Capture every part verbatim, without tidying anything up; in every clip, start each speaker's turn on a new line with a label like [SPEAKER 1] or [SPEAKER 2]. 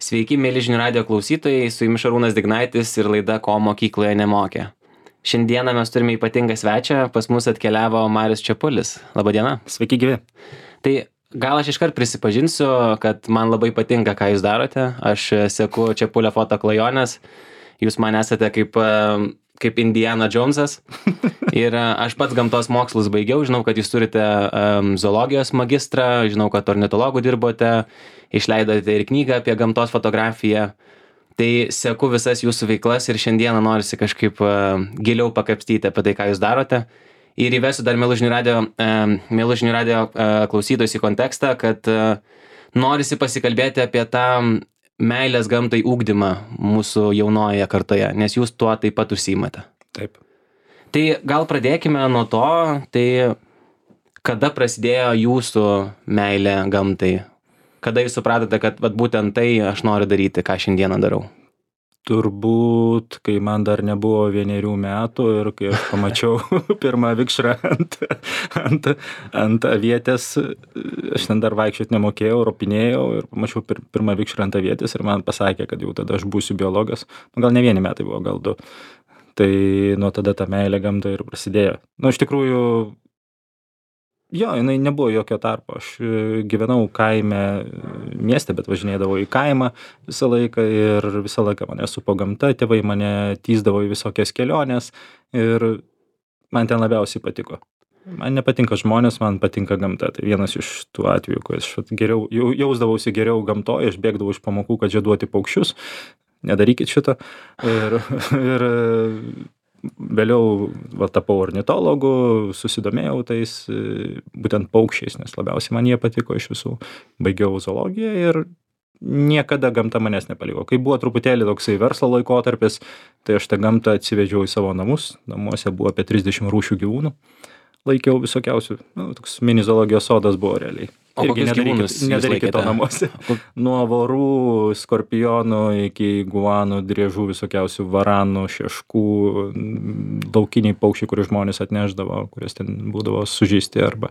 [SPEAKER 1] Sveiki, mėly žinių radijo klausytojai, su jumis Šarūnas Dignaitis ir laida Ko mokykloje nemokė. Šiandieną mes turime ypatingą svečią, pas mus atkeliavo Marius Čepulis. Labadiena.
[SPEAKER 2] Sveiki gyvi.
[SPEAKER 1] Tai gal aš iškart prisipažinsiu, kad man labai patinka, ką jūs darote. Aš seku Čepulio foto klajonės. Jūs man esate kaip, kaip Indiana Jonesas. Ir aš pats gamtos mokslus baigiau. Žinau, kad jūs turite um, zoologijos magistrą, žinau, kad ornitologų dirbote, išleidote ir knygą apie gamtos fotografiją. Tai seku visas jūsų veiklas ir šiandieną norisi kažkaip uh, giliau pakapstyti apie tai, ką jūs darote. Ir įvesiu dar Mėlų žinių radijo, uh, Mėlų žinių radijo uh, klausytojus į kontekstą, kad uh, norisi pasikalbėti apie tą meilės gamtai ugdymą mūsų jaunojoje kartoje, nes jūs tuo taip pat užsiimate.
[SPEAKER 2] Taip.
[SPEAKER 1] Tai gal pradėkime nuo to, tai kada prasidėjo jūsų meilė gamtai? Kada jūs supratote, kad vat, būtent tai aš noriu daryti, ką šiandieną darau?
[SPEAKER 2] Turbūt, kai man dar nebuvo vienerių metų ir kai aš pamačiau pirmą vikšrą ant, ant, ant avietės, aš ten dar vaikščiot nemokėjau, ropinėjau ir pamačiau pir, pirmą vikšrą ant avietės ir man pasakė, kad jau tada aš būsiu biologas. Nu, gal ne vieni metai buvo, gal du. Tai nuo tada ta meilė gamtai ir prasidėjo. Nu, iš tikrųjų, jo, jinai nebuvo jokio tarpo. Aš gyvenau kaime mieste, bet važinėdavau į kaimą visą laiką ir visą laiką mane supo gamta, tėvai mane tįsdavo į visokias keliones ir man ten labiausiai patiko. Man nepatinka žmonės, man patinka gamta. Tai vienas iš tų atvejų, kai aš geriau, jausdavausi geriau gamtoje, aš bėgdavau iš pamokų, kad žieduoti paukščius. Nedarykit šito. Ir, ir vėliau va, tapau ornitologu, susidomėjau tais būtent paukščiais, nes labiausiai man jie patiko iš visų. Baigiau zoologiją ir niekada gamta manęs nepaliko. Kai buvo truputėlį toksai verslo laikotarpis, tai aš tą gamtą atsivežiau į savo namus. Namuose buvo apie trisdešimt rūšių gyvūnų. Laikiau visokiausių. Nu, toks mini zoologijos sodas buvo realiai.
[SPEAKER 1] O kokius gyvūnus jūs
[SPEAKER 2] nedarykit to
[SPEAKER 1] laikėte?
[SPEAKER 2] namuose. Nuo vorų, skorpionų iki guanų, driežų, visokiausių varanų, šeškų, laukiniai paukščiai, kuriuos žmonės atneždavo, kurias ten būdavo sužeisti arba,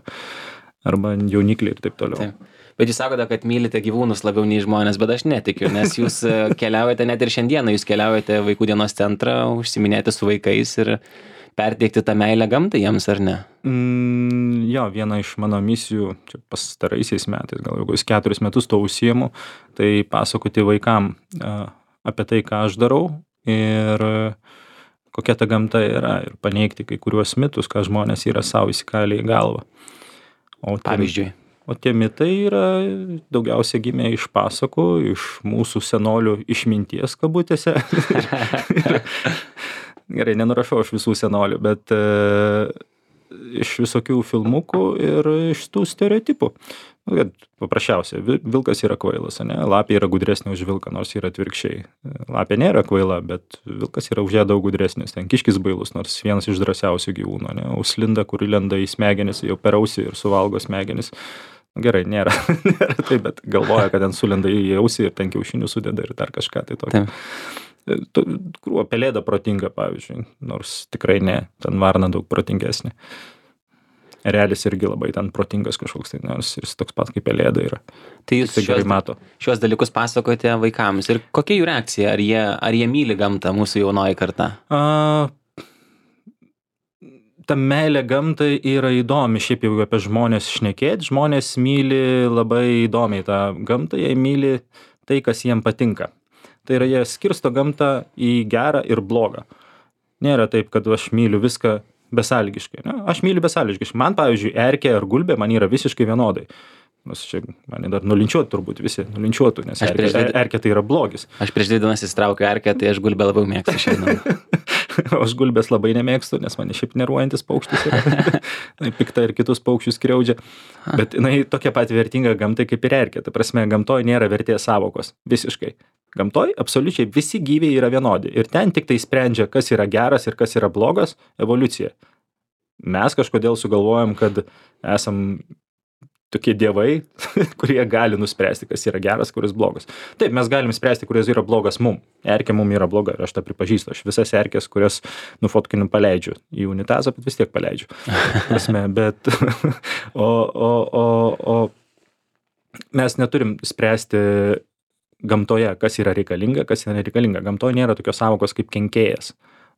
[SPEAKER 2] arba jaunikliai ir taip toliau.
[SPEAKER 1] Taip. Bet jūs sakote, kad mylite gyvūnus labiau nei žmonės, bet aš netikiu, nes jūs keliaujate net ir šiandieną, jūs keliaujate vaikų dienos centrą, užsiminėti su vaikais ir perteikti tą meilę gamtai jiems, ar ne?
[SPEAKER 2] Mm, jo, viena iš mano misijų, čia pastaraisiais metais, gal jau keturis metus to užsiimu, tai pasakoti vaikam uh, apie tai, ką aš darau ir uh, kokia ta gamta yra ir paneigti kai kuriuos mitus, ką žmonės yra savo įsikalę į galvą. O tie,
[SPEAKER 1] Pavyzdžiui.
[SPEAKER 2] O tie mitai yra daugiausia gimę iš pasakų, iš mūsų senolių išminties kabutėse. Gerai, nenurašau aš visų senolių, bet e, iš visokių filmukų ir iš tų stereotipų. Nu, paprasčiausia, vilkas yra kvailas, ne? Lapė yra gudresnė už vilką, nors yra atvirkščiai. Lapė nėra kvaila, bet vilkas yra už ją daug gudresnis. Ten kiškis bailus, nors vienas iš drąsiausių gyvūnų, ne? Uslinda, kuri lenda į smegenis, jau per ausį ir suvalgo smegenis. Gerai, nėra, nėra taip, bet galvoja, kad ten sulenda į ausį ir ten kiaušinių sudeda ir dar kažką tai tokio. Krūva pelėda protinga, pavyzdžiui, nors tikrai ne, ten varna daug protingesnė. Erelis irgi labai ten protingas kažkoks, tai, nors jis toks pat kaip pelėda yra.
[SPEAKER 1] Tai jūs
[SPEAKER 2] tai
[SPEAKER 1] šios,
[SPEAKER 2] mato.
[SPEAKER 1] šios dalykus pasakojate vaikams ir kokia jų reakcija, ar jie, ar jie myli gamtą, mūsų jaunoji karta?
[SPEAKER 2] A, ta meilė gamtai yra įdomi, šiaip jau apie žmonės šnekėti, žmonės myli labai įdomiai tą gamtą, jie myli tai, kas jiem patinka. Tai yra, jie skirsto gamtą į gerą ir blogą. Nėra taip, kad aš myliu viską besąlygiškai. Ne? Aš myliu besąlygiškai. Man, pavyzdžiui, erkė ar gulbė man yra visiškai vienodai. Nes čia mane dar nulinčiuotų turbūt visi, nulinčiuotų, nes erkė,
[SPEAKER 1] dvi...
[SPEAKER 2] erkė tai yra blogis.
[SPEAKER 1] Aš prieš dvi dienas įstraukiu erkę, tai aš gulbę labiau mėgstu šiandien.
[SPEAKER 2] Aš gulbės labai nemėgstu, nes mane šiaip neruojantis paukštis yra. Pikta ir kitus paukščius skriaudžia. Bet jinai tokia pat vertinga gamtai kaip ir erkė. Ta prasme, gamtoje nėra vertės savokos. Visiškai. Gamtoje absoliučiai visi gyviai yra vienodi. Ir ten tik tai sprendžia, kas yra geras ir kas yra blogas, evoliucija. Mes kažkodėl sugalvojam, kad esam tokie dievai, kurie gali nuspręsti, kas yra geras, kuris blogas. Taip, mes galim spręsti, kuris yra blogas mum. Erkė mum yra bloga ir aš tą pripažįstu. Aš visas erkės, kurias nufotkinu, paleidžiu į unitazą, bet vis tiek paleidžiu. Prasme, bet o, o, o, o mes neturim spręsti gamtoje, kas yra reikalinga, kas yra reikalinga. Gamtoje nėra tokios sąvokos kaip kenkėjas.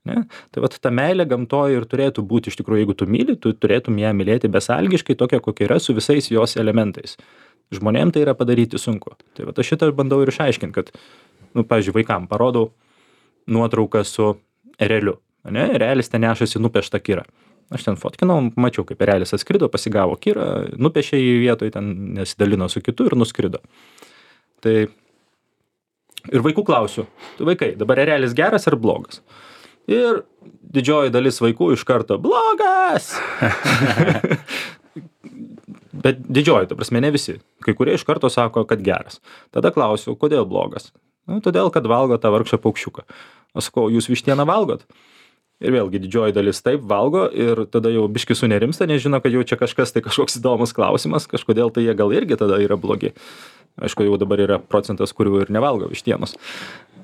[SPEAKER 2] Ne? Tai vat ta meilė gamtoje ir turėtų būti, iš tikrųjų, jeigu tu myli, tu turėtum ją mylėti besąlygiškai, tokia kokia yra, su visais jos elementais. Žmonėm tai yra padaryti sunku. Tai vat aš šitą bandau ir išaiškinti, kad, nu, pavyzdžiui, vaikam parodau nuotrauką su ereliu. Ne? Erelis ten nešasi nupeštą kirą. Aš ten fotkinau, mačiau, kaip erelis atskrido, pasigavo kirą, nupešė į vietoj, ten nesidalino su kitu ir nuskrido. Tai ir vaikų klausiu, tu vaikai, dabar erelis geras ar blogas? Ir didžioji dalis vaikų iš karto blogas. Bet didžioji, ta prasme, ne visi. Kai kurie iš karto sako, kad geras. Tada klausiu, kodėl blogas? Nu, todėl, kad valgo tą vargšą paukščiuką. Aš sakau, jūs vištieną valgot? Ir vėlgi didžioji dalis taip valgo ir tada jau biški sunerimsta, nes žino, kad jau čia kažkas tai kažkoks įdomus klausimas, kažkodėl tai jie gal irgi tada yra blogi. Aišku, jau dabar yra procentas, kurių ir nevalgo vištienos.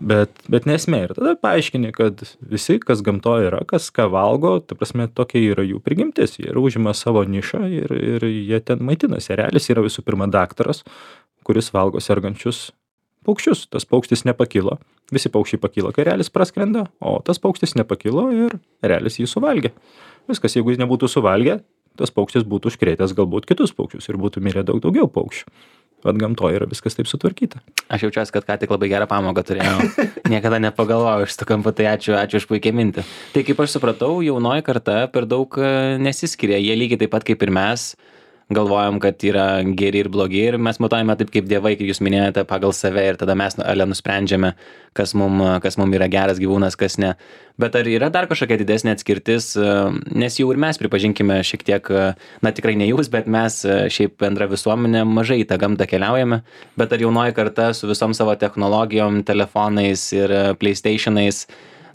[SPEAKER 2] Bet, bet nesmė. Ir tada paaiškini, kad visi, kas gamtoje yra, kas ką valgo, ta prasme, tokia yra jų prigimtis. Jie užima savo nišą ir, ir jie ten maitinasi. Erelis yra visų pirma daktaras, kuris valgo sergančius paukščius. Tas paukštis nepakilo. Visi paukščiai pakilo, kai erelis praskrenda, o tas paukštis nepakilo ir erelis jį suvalgė. Viskas, jeigu jis nebūtų suvalgę, tas paukštis būtų užkrėtęs galbūt kitus paukščius ir būtų mirę daug daugiau paukščių. Vat gamtoje yra viskas taip sutvarkyta.
[SPEAKER 1] Aš jaučiuosi, kad ką tik labai gerą pamoką turėjau. Niekada nepagalvojau iš to kampo, tai ačiū, ačiū už puikią mintį. Tai kaip aš supratau, jaunoji karta per daug nesiskiria. Jie lygiai taip pat kaip ir mes galvojam, kad yra geri ir blogi ir mes matuojame taip kaip dievai, kaip jūs minėjote, pagal save ir tada mes ale nusprendžiame, kas mum, kas mum yra geras gyvūnas, kas ne. Bet ar yra dar kažkokia didesnė atskirtis, nes jau ir mes pripažinkime šiek tiek, na tikrai ne jūs, bet mes šiaip bendra visuomenė mažai į tą gamtą keliaujame, bet ar jaunoji karta su visom savo technologijom, telefonais ir PlayStationais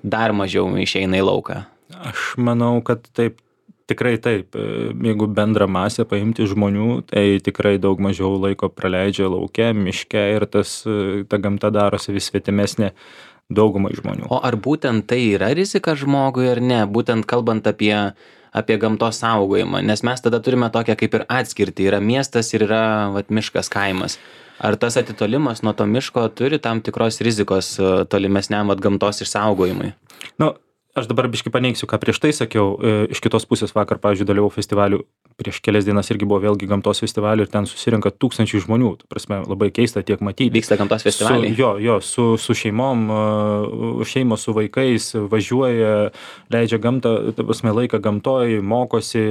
[SPEAKER 1] dar mažiau išeina į lauką?
[SPEAKER 2] Aš manau, kad taip. Tikrai taip, jeigu bendrą masę paimti žmonių, tai tikrai daug mažiau laiko praleidžia lauke, miške ir tas, ta gamta darosi vis svetimesnė daugumai žmonių.
[SPEAKER 1] O ar būtent tai yra rizika žmogui ar ne, būtent kalbant apie, apie gamtos saugojimą, nes mes tada turime tokią kaip ir atskirtį, yra miestas ir yra vat, miškas, kaimas. Ar tas atitolimas nuo to miško turi tam tikros rizikos tolimesniam vat, gamtos išsaugojimui?
[SPEAKER 2] Nu, aš dabar biškai paneigsiu, ką prieš tai sakiau. Iš kitos pusės vakar, pavyzdžiui, dalyvau festivalių, prieš kelias dienas irgi buvo vėlgi gamtos festivalių ir ten susirinka tūkstančiai žmonių. Ta prasme, labai keista tiek matyti.
[SPEAKER 1] Vyksta gamtos festivaliai?
[SPEAKER 2] Su, jo, jo, su, su šeimom, šeimos su vaikais važiuoja, leidžia gamtą, ta prasme, laiką gamtoj, mokosi,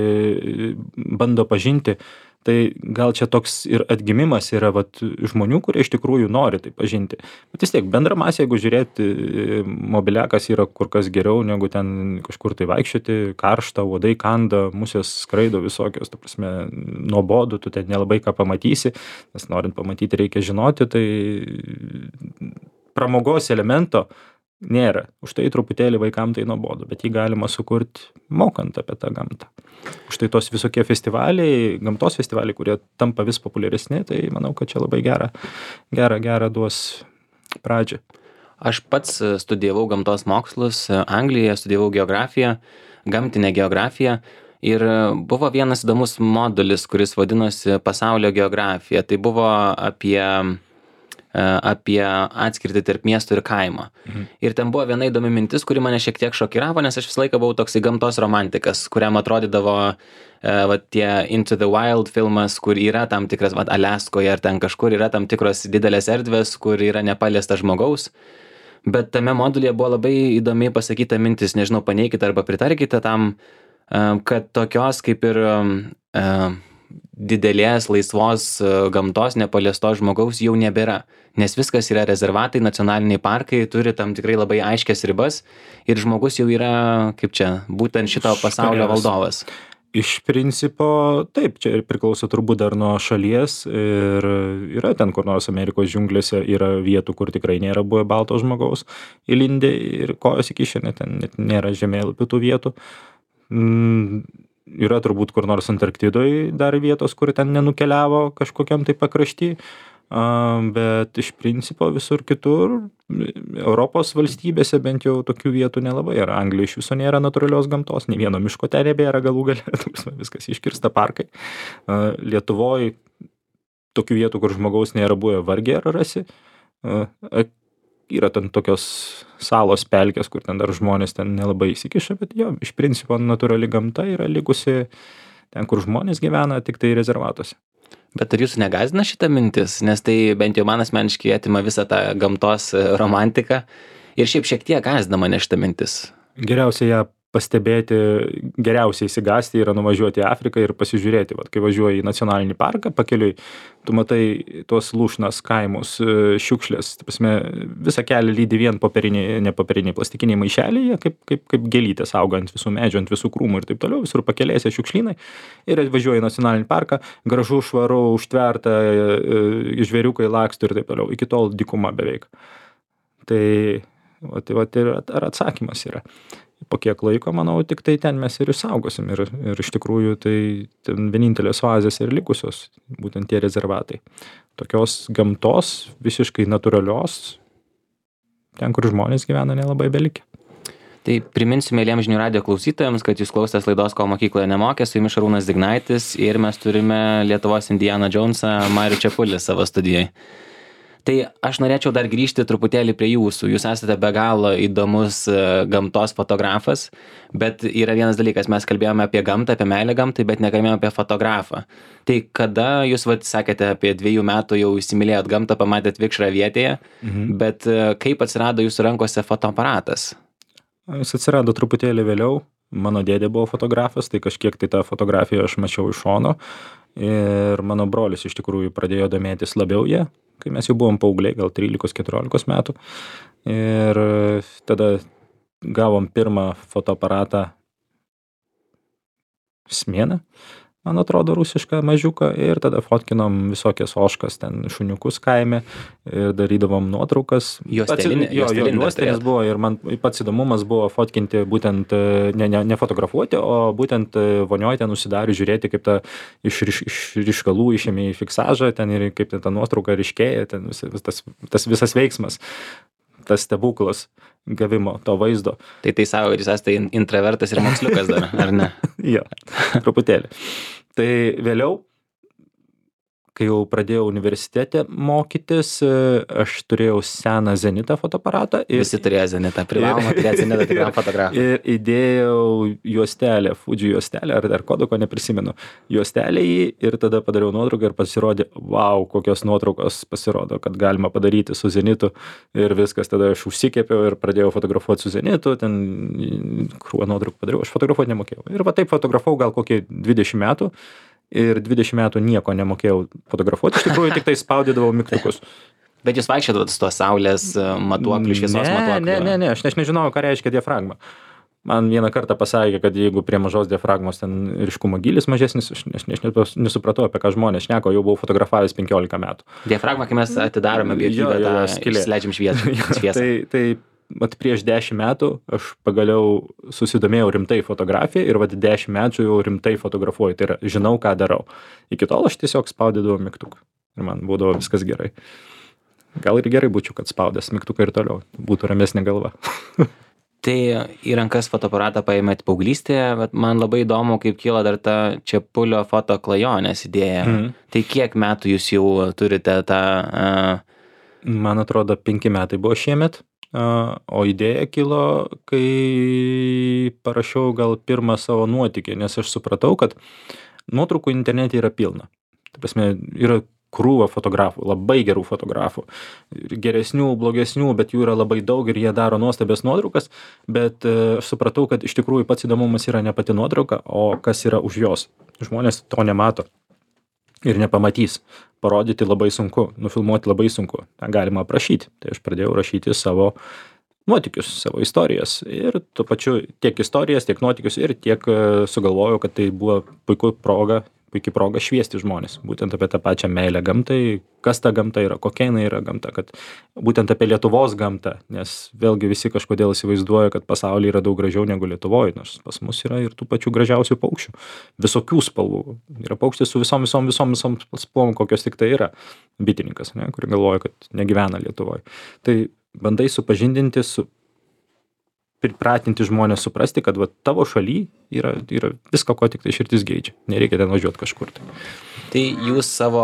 [SPEAKER 2] bando pažinti. Tai gal čia toks ir atgimimas yra vat, žmonių, kurie iš tikrųjų nori tai pažinti. Bet vis tiek, bendra masė, jeigu žiūrėti, mobiliakas yra kur kas geriau, negu ten kažkur tai vaikščioti, karšta, uodai kanda, musės skraido visokios, ta prasme, nuobodu, tu ten nelabai ką pamatysi, nes norint pamatyti reikia žinoti, tai pramogos elemento nėra. Už tai truputėlį vaikam tai nuobodu, bet jį galima sukurti mokant apie tą gamtą. Už tai tos visokie festivaliai, gamtos festivaliai, kurie tampa vis populiaresni, tai manau, kad čia labai gerą, gerą, gerą duos pradžią.
[SPEAKER 1] Aš pats studijavau gamtos mokslus Anglijoje, studijavau geografiją, gamtinę geografiją ir buvo vienas įdomus modulis, kuris vadinosi pasaulio geografija. Tai buvo apie apie atskirtį tarp miesto ir kaimo. Mhm. Ir ten buvo viena įdomi mintis, kuri mane šiek tiek šokiravo, nes aš visą laiką buvau toksai gamtos romantikas, kuriam atrodydavo va, tie Into the Wild filmas, kur yra tam tikras, va, Aliaskoje ar ten kažkur yra tam tikros didelės erdvės, kur yra nepaliesta žmogaus. Bet tame modulyje buvo labai įdomiai pasakyta mintis, nežinau, paneikite arba pritarkite tam, kad tokios kaip ir didelės laisvos gamtos nepaliestos žmogaus jau nebėra, nes viskas yra rezervatai, nacionaliniai parkai, turi tam tikrai labai aiškias ribas ir žmogus jau yra, kaip čia, būtent šito pasaulio valdovas.
[SPEAKER 2] Iš principo, taip, čia priklauso turbūt dar nuo šalies ir yra ten kur nors Amerikos džiunglėse yra vietų, kur tikrai nėra buvę balto žmogaus įlindę ir kojos įkišę, net ten net nėra žemėlapių tų vietų. Mm, yra turbūt kur nors Antarktidoj dar vietos, kur ten nenukeliavo kažkokiam tai pakrašty, bet iš principo visur kitur, Europos valstybėse bent jau tokių vietų nelabai yra. Anglija iš viso nėra natūralios gamtos, nei vieno miško ten nebėra galų gale, viskas iškirsta parkai. Lietuvoj tokių vietų, kur žmogaus nėra buvę, vargiai ar rasi. Yra ten tokios salos pelkės, kur ten dar žmonės ten nelabai įsikiša, bet jo, iš principo natūrali gamta yra likusi ten, kur žmonės gyvena, tik tai rezervatuose.
[SPEAKER 1] Bet ar jūsų negąsdina šita mintis, nes tai bent jau man asmeniškai atima visą tą gamtos romantiką ir šiaip šiek tiek gąsdina mane šita mintis.
[SPEAKER 2] Geriausia ją pastebėti, geriausiai įsigąsti yra nuvažiuoti į Afriką ir pasižiūrėti. Vat, kai važiuoji į nacionalinį parką, pakeliui, tu matai tuos lūšnas kaimus, šiukšlės, prasme, visą kelią lydi vien popieriniai, ne popieriniai, plastikiniai maišeliai, kaip, kaip, kaip gėlytės auga ant visų medžių, ant visų krūmų ir taip toliau, visur pakelėse šiukšlynai. Ir važiuoji į nacionalinį parką, gražu, švaru, užtverta, žvėriukai laksto ir taip toliau. Iki tol dykuma beveik. Tai, va, tai, va, tai ar atsakymas yra. Po kiek laiko, manau, tik tai ten mes ir išsaugosim. Ir, ir iš tikrųjų tai ten vienintelės oazės ir likusios, būtent tie rezervatai. Tokios gamtos, visiškai natūralios, ten, kur žmonės gyvena, nelabai belikė.
[SPEAKER 1] Tai priminsiu mėliem žinių radijo klausytojams, kad jūs klausotės laidos Ko mokykloje nemokė, su jumis Šarūnas Dignaitis ir mes turime Lietuvos Indiana Jonesą Marių Čepulį savo studijoje. Tai aš norėčiau dar grįžti truputėlį prie jūsų. Jūs esate be galo įdomus gamtos fotografas, bet yra vienas dalykas, mes kalbėjome apie gamtą, apie meilę gamtai, bet nekalbėjome apie fotografą. Tai kada jūs, vat, sakėte, apie dviejų metų jau įsimylėjot gamtą, pamatėt vikšrą vietėje, mhm. bet kaip atsirado jūsų rankose fotoaparatas?
[SPEAKER 2] Jis atsirado truputėlį vėliau. Mano dėdė buvo fotografas, tai kažkiek tai tą fotografiją aš mačiau iš šono. Ir mano brolis iš tikrųjų pradėjo domėtis labiau ją, kai mes jau buvom paaugliai, gal trylikos keturiolikos metų. Ir tada gavom pirmą fotoaparatą Smėną, man atrodo, rusišką mažiuką. Ir tada fotkinom visokias ožkas, ten šuniukus kaime ir darydavom nuotraukas.
[SPEAKER 1] Juostelinė,
[SPEAKER 2] jo, jo, juostelis buvo ir man pats įdomumas buvo fotkinti būtent, ne, ne, ne fotografuoti, o būtent vonioj ten užsidariu, žiūrėti, kaip ta iš, iš, iš ryškalų išėmė į fiksažą, ten ir kaip ten ta nuotrauka ryškėja, ten vis, tas, tas visas veiksmas, tas stebuklas gavimo to vaizdo.
[SPEAKER 1] Tai tai savo, jūs esate intravertas ir moksliukas dar, ar ne?
[SPEAKER 2] Jo, truputėlį. Tai vėliau, kai jau pradėjau universitete mokytis, aš turėjau seną Zenitą fotoaparatą. Ir,
[SPEAKER 1] Visi turėjo Zenitą, privaloma turėti Zenitą tikram fotografui.
[SPEAKER 2] Ir įdėjau juostelę, Fuji juostelę, ar dar kodoko neprisimenu, juostelę į ir tada padariau nuotrauką ir pasirodė, wow, kokios nuotraukos pasirodo, kad galima padaryti su Zenitu ir viskas. Tada aš užsikėpiau ir pradėjau fotografuoti su Zenitu, ten krūvą nuotraukų padariau, aš fotografuoti nemokėjau. Ir va taip fotografavau gal kokį dvidešimt metų. Ir dvidešimt metų nieko nemokėjau fotografuoti, iš tikrųjų tik tai spaudydavau mygtukus.
[SPEAKER 1] Bet jūs vaikščiodavot su to saulės matuokliu, šviesos matuokliu?
[SPEAKER 2] Ne, ne, ne, aš, aš nežinojau, ką reiškia diafragma. Man vieną kartą pasakė, kad jeigu prie mažos diafragmos ten ryškumo gylis mažesnis, aš, aš, aš nesupratau, apie ką žmonės šneka, jau buvau fotografavęs penkiolika metų.
[SPEAKER 1] Diafragma, kai mes atidarome objektyvą, tą įsileidžiam šviesą.
[SPEAKER 2] tai, tai vat prieš dešimt metų aš pagaliau susidomėjau rimtai fotografiją ir vat dešimt metų jau rimtai fotografuoju, tai yra žinau, ką darau. Iki tol aš tiesiog spaudydavau mygtuką ir man būdavo viskas gerai. Gal ir gerai būčiau, kad spaudęs mygtuką ir toliau, būtų ramesnė galva.
[SPEAKER 1] Tai į rankas fotoaparatą paėmėt paauglystėje, bet man labai įdomu, kaip kyla dar ta Čepulio fotoklajonės idėja. Mhm. Tai kiek metų jūs jau turite tą... Uh...
[SPEAKER 2] Man atrodo, penki metai buvo šiemet. O idėja kilo, kai parašiau gal pirmą savo nuotykį, nes aš supratau, kad nuotraukų internete yra pilna. Tai prasme, yra krūva fotografų, labai gerų fotografų, geresnių, blogesnių, bet jų yra labai daug ir jie daro nuostabias nuotraukas, bet aš supratau, kad iš tikrųjų pats įdomumas yra ne pati nuotrauka, o kas yra už jos. Žmonės to nemato ir nepamatys. Parodyti labai sunku, nufilmuoti labai sunku. Tą galima aprašyti. Tai aš pradėjau rašyti savo nuotykius, savo istorijas. Ir tuo pačiu tiek istorijas, tiek nuotykius ir tiek sugalvojau, kad tai buvo puiku proga, puikiai proga šviesti žmonės. Būtent apie tą pačią meilę gamtai, kas ta gamta yra, kokia jinai yra gamta, kad būtent apie Lietuvos gamtą, nes vėlgi visi kažkodėl įsivaizduoja, kad pasaulyje yra daug gražiau negu Lietuvoje, nors pas mus yra ir tų pačių gražiausių paukščių. Visokių spalvų. Yra paukštis su visom, visom, visom, visom spalvom, kokios tik tai yra. Bitininkas, ne, kuri galvoja, kad negyvena Lietuvoje. Tai bandai supažindinti, su, pripratinti žmonės suprasti, kad va, tavo šaly yra, yra visko, ko tik tai širdis geidžia. Nereikia ten važiuoti kažkur. Tai.
[SPEAKER 1] Tai jūs savo,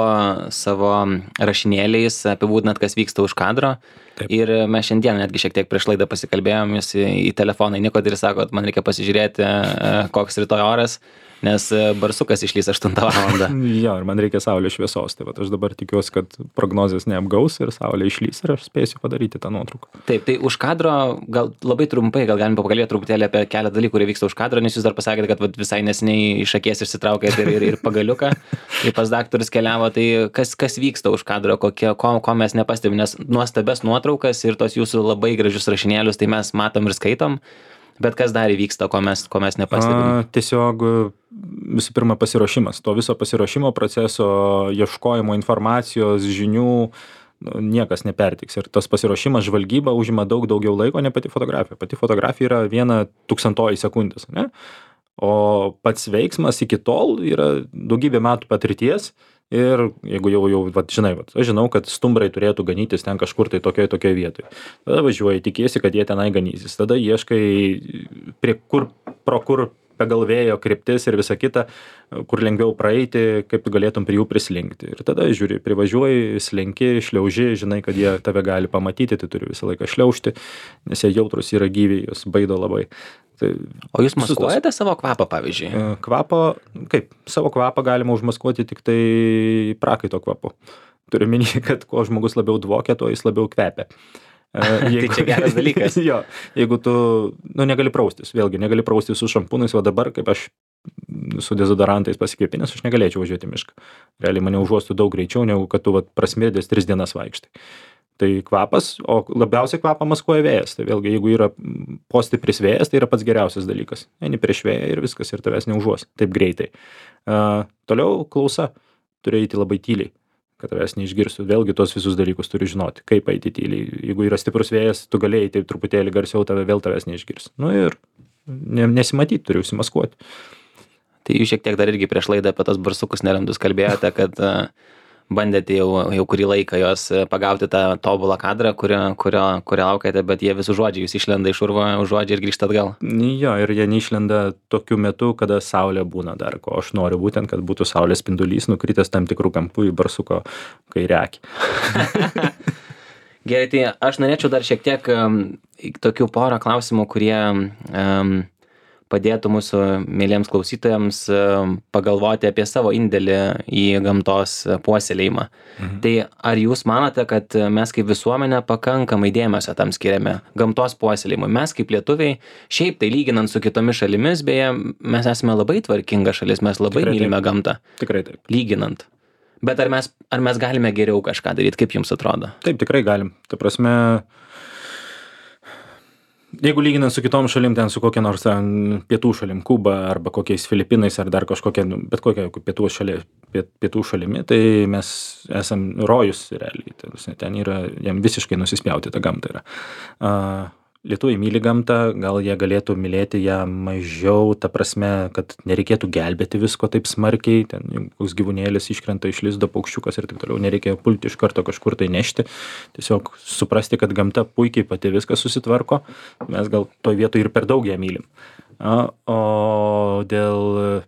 [SPEAKER 1] savo rašinėliais apibūdinat, kas vyksta už kadro. Taip. Ir mes šiandien netgi šiek tiek prieš laidą pasikalbėjom, jūs į, į telefoną įnikot ir sakot, man reikia pasižiūrėti, koks rytoj oras, nes barsukas išlys aštuntą valandą.
[SPEAKER 2] Jo, ir man reikia saulės šviesos, tai vat aš dabar tikiuosi, kad prognozės neapgaus ir saulė išlys ir aš spėsiu padaryti tą nuotrauką.
[SPEAKER 1] Taip, tai už kadro, gal labai trumpai, gal galim pakalbėti truputėlį apie keletą dalykų, kurie vyksta už kadro, nes jūs dar pasakėte, kad vat, visai nesiniai iš akies išsitraukėte ir, ir, ir pagaliuką, ir pas daktarus keliavo, tai kas, kas vyksta už kadro, kokie, ko, ko mes nepastebime, nes nuostabes nuotraukas ir tos jūsų labai gražius rašinėlius, tai mes matom ir skaitom. Bet kas dar įvyksta, ko mes, ko mes nepastebime?
[SPEAKER 2] A, tiesiog visų pirma pasiruošimas. To viso pasiruošimo proceso, ieškojimo informacijos, žinių niekas nepertiks. Ir tas pasiruošimas, žvalgyba užima daug daugiau laiko, ne pati fotografija. Pati fotografija yra viena tūkstantoji sekundės. Ne? O pats veiksmas iki tol yra daugybė metų patirties. Ir jeigu jau, jau vat, žinai, vat, aš žinau, kad stumbrai turėtų ganytis ten kažkur tai tokioje tokioje vietoje. Tada važiuoji, tikiesi, kad jie tenai ganysis. Tada ieškai, prie kur, pro kur pagal vėjo kryptis ir visa kita, kur lengviau praeiti, kaip tu galėtum prie jų prislinkti. Ir tada žiūri, privažiuoji, slenki, šliauži, žinai, kad jie tave gali pamatyti, tai turi visą laiką šliaužti, nes jie jautrus yra gyviai, jos baido labai. Tai
[SPEAKER 1] o jūs maskuojate savo kvapą, pavyzdžiui?
[SPEAKER 2] Kvapą, kaip, savo kvapą galima užmaskuoti tik tai prakaito kvapu. Turiu minėti, kad kuo žmogus labiau dvokia, tuo jis labiau kvepia.
[SPEAKER 1] Jeigu, tai čia geras dalykas.
[SPEAKER 2] Jo, jeigu tu, nu, negali praustis, vėlgi, negali praustis su šampūnais, o dabar, kaip aš su dezodorantais pasikvėpinęs, aš negalėčiau važiuoti į mišką. Realiai mane užuostų daug greičiau, negu kad tu vat, prasmirdės tris dienas vaikštai. Tai kvapas, o labiausiai kvapą maskuoja vėjas. Tai vėlgi, jeigu yra postipris vėjas, tai yra pats geriausias dalykas. Eini prieš vėją ir viskas, ir tavęs neužuos taip greitai. Uh, toliau klausa. Turi eiti labai tyliai, kad tavęs neišgirstų. Vėlgi tos visus dalykus turi žinoti, kaip eiti tyliai. Jeigu yra stiprus vėjas, tu galėjai taip truputėlį garsiau, tave vėl tavęs neišgirs. Nu ir nesimatyti, turi užsimaskuoti.
[SPEAKER 1] Tai jūs šiek tiek dar irgi prieš laidą apie tos barsukus nerandus kalbėjote, kad uh, bandėte jau, jau kurį laiką jos pagauti tą tobulą kadrą, kurio, kurio, kurio laukėte, bet jie vis užuodžia, jūs išlenda iš urvo, užuodžia ir grįžta atgal.
[SPEAKER 2] Jo, ir jie neišlenda tokiu metu, kada saulė būna dar, ko aš noriu būtent, kad būtų saulės spindulys nukritęs tam tikrų kampų į barsuko kairę akį.
[SPEAKER 1] Gerai, tai aš norėčiau dar šiek tiek um, tokių porą klausimų, kurie um, padėtų mūsų mėlyms klausytojams pagalvoti apie savo indėlį į gamtos puoselėjimą. Mhm. Tai ar jūs manote, kad mes kaip visuomenė pakankamai dėmesio tam skiriame gamtos puoselėjimui? Mes kaip lietuviai, šiaip tai lyginant su kitomis šalimis, beje, mes esame labai tvarkinga šalis, mes labai
[SPEAKER 2] Tikrai
[SPEAKER 1] mylime
[SPEAKER 2] taip.
[SPEAKER 1] gamtą.
[SPEAKER 2] Tikrai taip.
[SPEAKER 1] Lyginant. Bet ar mes, ar mes galime geriau kažką daryti, kaip jums atrodo?
[SPEAKER 2] Taip, tikrai galim. Ta prasme, jeigu lyginant su kitom šalim, ten su kokia nors ten, pietų šalim, Kuba arba kokiais Filipinais ar dar kažkokia, nu, bet kokia pietų, šalia, piet, pietų šalimi, tai mes esam rojus realiai. Tai, ten yra, jam visiškai nusispjauti ta gamta yra. Uh, Lietuviai myli gamtą, gal jie galėtų mylėti ją mažiau, ta prasme, kad nereikėtų gelbėti visko taip smarkiai, ten koks gyvūnėlis iškrenta iš lizdo, paukščiukas ir taip toliau, nereikia pulti iš karto kažkur tai nešti, tiesiog suprasti, kad gamta puikiai pati viską susitvarko, mes gal toj vietoj ir per daug ją mylim. O dėl,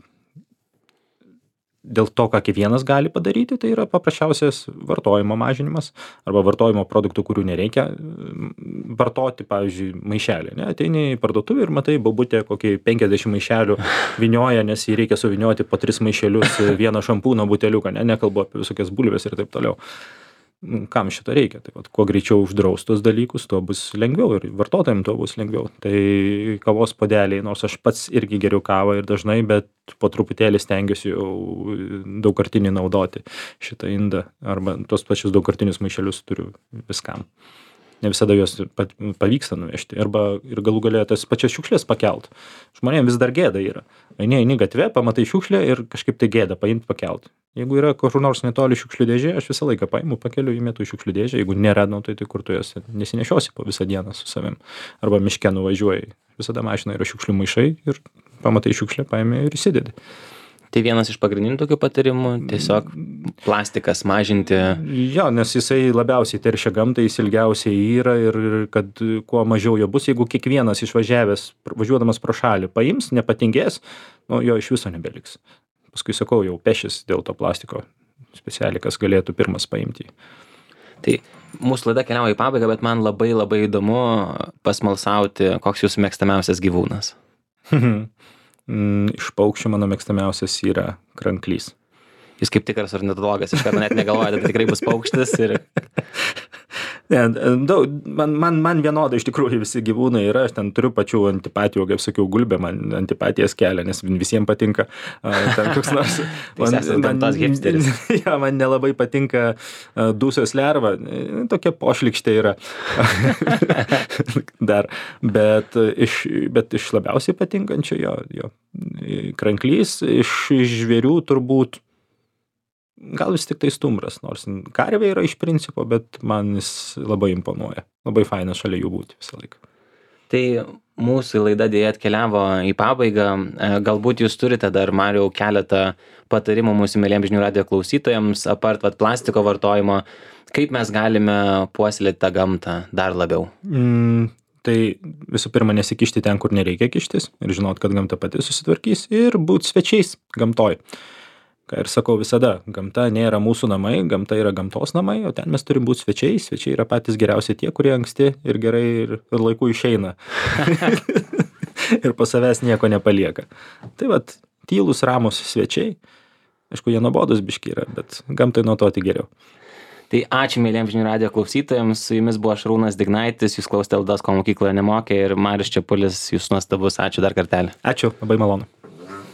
[SPEAKER 2] dėl to, ką kiekvienas gali padaryti, tai yra paprasčiausias vartojimo mažinimas arba vartojimo produktų, kurių nereikia vartoti, pavyzdžiui, maišelį. Ne? Ateini į parduotuvę ir matai, babutė kokį penkiasdešimt maišelių vynioja, nes jį reikia suvinioti po tris maišelius vieną šampūno buteliuką, ne? Nekalbu apie visokias bulves ir taip toliau. Kam šito reikia? Tai vat, kuo greičiau uždraus tos dalykus, tuo bus lengviau ir vartotojams tuo bus lengviau. Tai kavos puodeliai, nors aš pats irgi geriu kavą ir dažnai, bet po truputėlį stengiuosi jau daugkartinį naudoti šitą indą arba tos pačius daugkartinius maišelius turiu viskam. Ne visada juos pavyksta nuvežti arba ir galų galę tas pačias šiukšlės pakelt. Žmonėms vis dar gėda yra. Eini, eini gatve, pamatai šiukšlę ir kažkaip tai gėda paimti pakelt. Jeigu yra kur nors netoli šiukšlių dėžė, aš visą laiką paimu, pakeliu, įmetu į šiukšlių dėžę. Jeigu nėra, nu, tai, tai kur tu jas nesinešiosi po visą dieną su savim. Arba miške nuvažiuoji. Visada mašina yra šiukšlių maišai ir pamatai šiukšlę, paimi ir įsidedi.
[SPEAKER 1] Tai vienas iš pagrindinių tokių patarimų - tiesiog plastikas mažinti.
[SPEAKER 2] Jo, nes jisai labiausiai teršia gamtą, jis ilgiausiai yra ir, ir kad kuo mažiau jo bus, jeigu kiekvienas išvažiavęs, važiuodamas pro šalį, paims, nepatingės, nu, jo iš viso nebeliks. Paskui sakau, jau pešis dėl to plastiko specialiai, kas galėtų pirmas paimti.
[SPEAKER 1] Tai mūsų laida keliauja į pabaigą, bet man labai labai įdomu pasmalsauti, koks jūsų mėgstamiausias gyvūnas.
[SPEAKER 2] Iš paukščių mano mėgstamiausias yra kranklys.
[SPEAKER 1] Jūs kaip tikras ornitologas, iš karto net negalvojate, tai tikrai bus paukštis ir...
[SPEAKER 2] Ne, daug, man, man, man vienodai iš tikrųjų visi gyvūnai yra, aš ten turiu pačių antipatijų, kaip sakiau, gulbė man antipatijas kelia, nes visiems patinka ten koks nors...
[SPEAKER 1] Man, man, man,
[SPEAKER 2] ja, man nelabai patinka dūsios lerva, tokia pošlikštė yra. Dar, bet iš, bet iš labiausiai patinkančio jo, jo kranklys, iš žvėrių turbūt gal vis tik tai stumbras, nors karvė yra iš principo, bet man jis labai imponuoja. Labai faina šalia jų būti visą laiką.
[SPEAKER 1] Tai mūsų laida dėja atkeliavo į pabaigą. Galbūt jūs turite dar, Mariau, keletą patarimų mūsų mėliems žinių radijo klausytojams, apart vat, plastiko vartojimo, kaip mes galime puoselėti tą gamtą dar labiau?
[SPEAKER 2] Mm. Tai visų pirma nesikišti ten, kur nereikia kištis ir žinot, kad gamta pati susitvarkys ir būt svečiais gamtoj. Ką ir sakau visada, gamta nėra mūsų namai, gamta yra gamtos namai, o ten mes turim būti svečiai. Svečiai yra patys geriausi tie, kurie anksti ir gerai ir, ir laiku išeina. Ir po savęs nieko nepalieka. Tai vat, tylus, ramus svečiai. Aišku, jie nuobodus biški yra, bet gamtai nuo to tik geriau.
[SPEAKER 1] Tai ačiū mėlyms žinių radijo klausytojams, su jumis buvo Šarūnas Dignaitis, jūs klausėte laidos Ko mokykloje nemokė ir Marius Čepulis, jūs nuostabus, ačiū dar kartelį.
[SPEAKER 2] Ačiū, labai malonu.